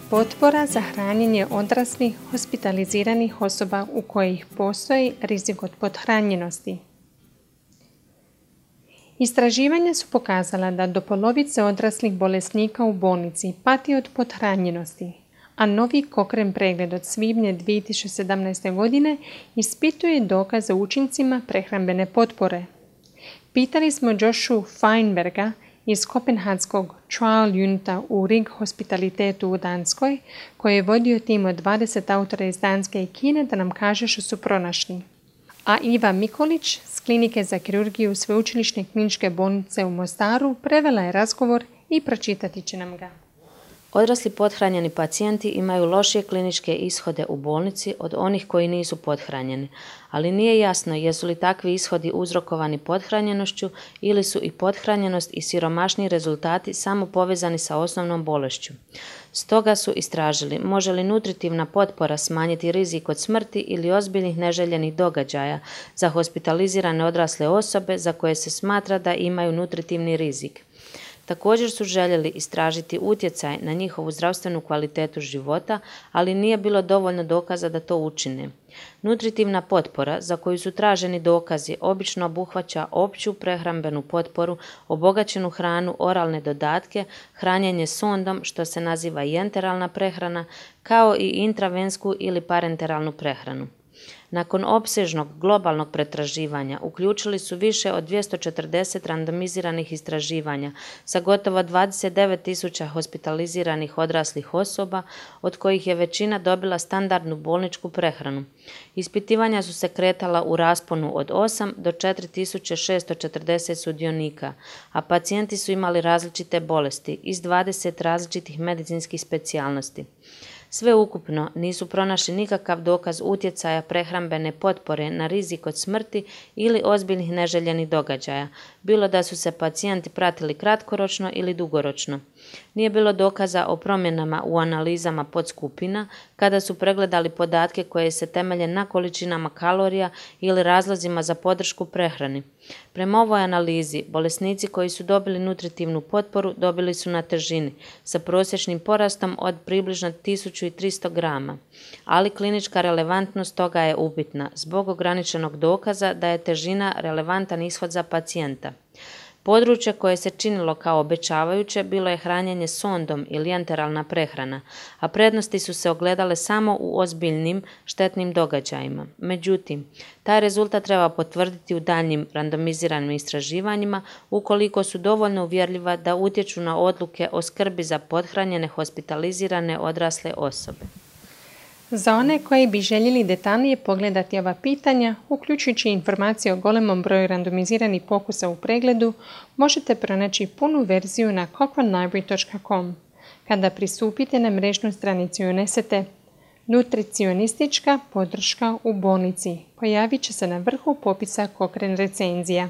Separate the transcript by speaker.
Speaker 1: Potpora za hranjenje odraslih hospitaliziranih osoba u kojih postoji rizik od pothranjenosti. Istraživanja su pokazala da do polovice odraslih bolesnika u bolnici pati od pothranjenosti, a novi Cochrane pregled od svibnja 2017. godine ispituje dokaze o učincima prehrambene potpore. Pitali smo Joshua Feinberga iz Kopenhagskog Trial Unita u Rig Hospitalitetu u Danskoj, koji je vodio tim od 20 autora iz Danske i Kine, da nam kaže što su pronašli. A Iva Mikolić s Klinike za kirurgiju Sveučilišne kliničke bolnice u Mostaru prevela je razgovor i pročitati će nam ga.
Speaker 2: Odrasli pothranjeni pacijenti imaju lošije kliničke ishode u bolnici od onih koji nisu pothranjeni, ali nije jasno jesu li takvi ishodi uzrokovani pothranjenošću ili su i pothranjenost i siromašni rezultati samo povezani sa osnovnom bolešću. Stoga su istražili može li nutritivna potpora smanjiti rizik od smrti ili ozbiljnih neželjenih događaja za hospitalizirane odrasle osobe za koje se smatra da imaju nutritivni rizik. Također su željeli istražiti utjecaj na njihovu zdravstvenu kvalitetu života, ali nije bilo dovoljno dokaza da to učine. Nutritivna potpora, za koju su traženi dokazi, obično obuhvaća opću prehrambenu potporu, obogaćenu hranu, oralne dodatke, hranjenje sondom, što se naziva i enteralna prehrana, kao i intravensku ili parenteralnu prehranu. Nakon opsežnog globalnog pretraživanja uključili su više od 240 randomiziranih istraživanja sa gotovo 29.000 hospitaliziranih odraslih osoba, od kojih je većina dobila standardnu bolničku prehranu. Ispitivanja su se kretala u rasponu od 8 do 4.640 sudionika, a pacijenti su imali različite bolesti iz 20 različitih medicinskih specijalnosti. Sve ukupno nisu pronašli nikakav dokaz utjecaja prehrambene potpore na rizik od smrti ili ozbiljnih neželjenih događaja, bilo da su se pacijenti pratili kratkoročno ili dugoročno. Nije bilo dokaza o promjenama u analizama podskupina kada su pregledali podatke koje se temelje na količinama kalorija ili razlozima za podršku prehrani. Prema ovoj analizi, bolesnici koji su dobili nutritivnu potporu dobili su na težini sa prosječnim porastom od približno 1300 grama, ali klinička relevantnost toga je upitna zbog ograničenog dokaza da je težina relevantan ishod za pacijenta. Područje koje se činilo kao obećavajuće bilo je hranjenje sondom ili enteralna prehrana, a prednosti su se ogledale samo u ozbiljnim štetnim događajima. Međutim, taj rezultat treba potvrditi u daljnjim randomiziranim istraživanjima ukoliko su dovoljno uvjerljiva da utječu na odluke o skrbi za pothranjene hospitalizirane odrasle osobe.
Speaker 1: Za one koji bi željeli detaljnije pogledati ova pitanja, uključujući informacije o golemom broju randomiziranih pokusa u pregledu, možete pronaći punu verziju na cochranelibrary.com. Kada pristupite na mrežnu stranicu i unesete nutricionistička podrška u bolnici, pojavit će se na vrhu popisa Cochrane recenzija.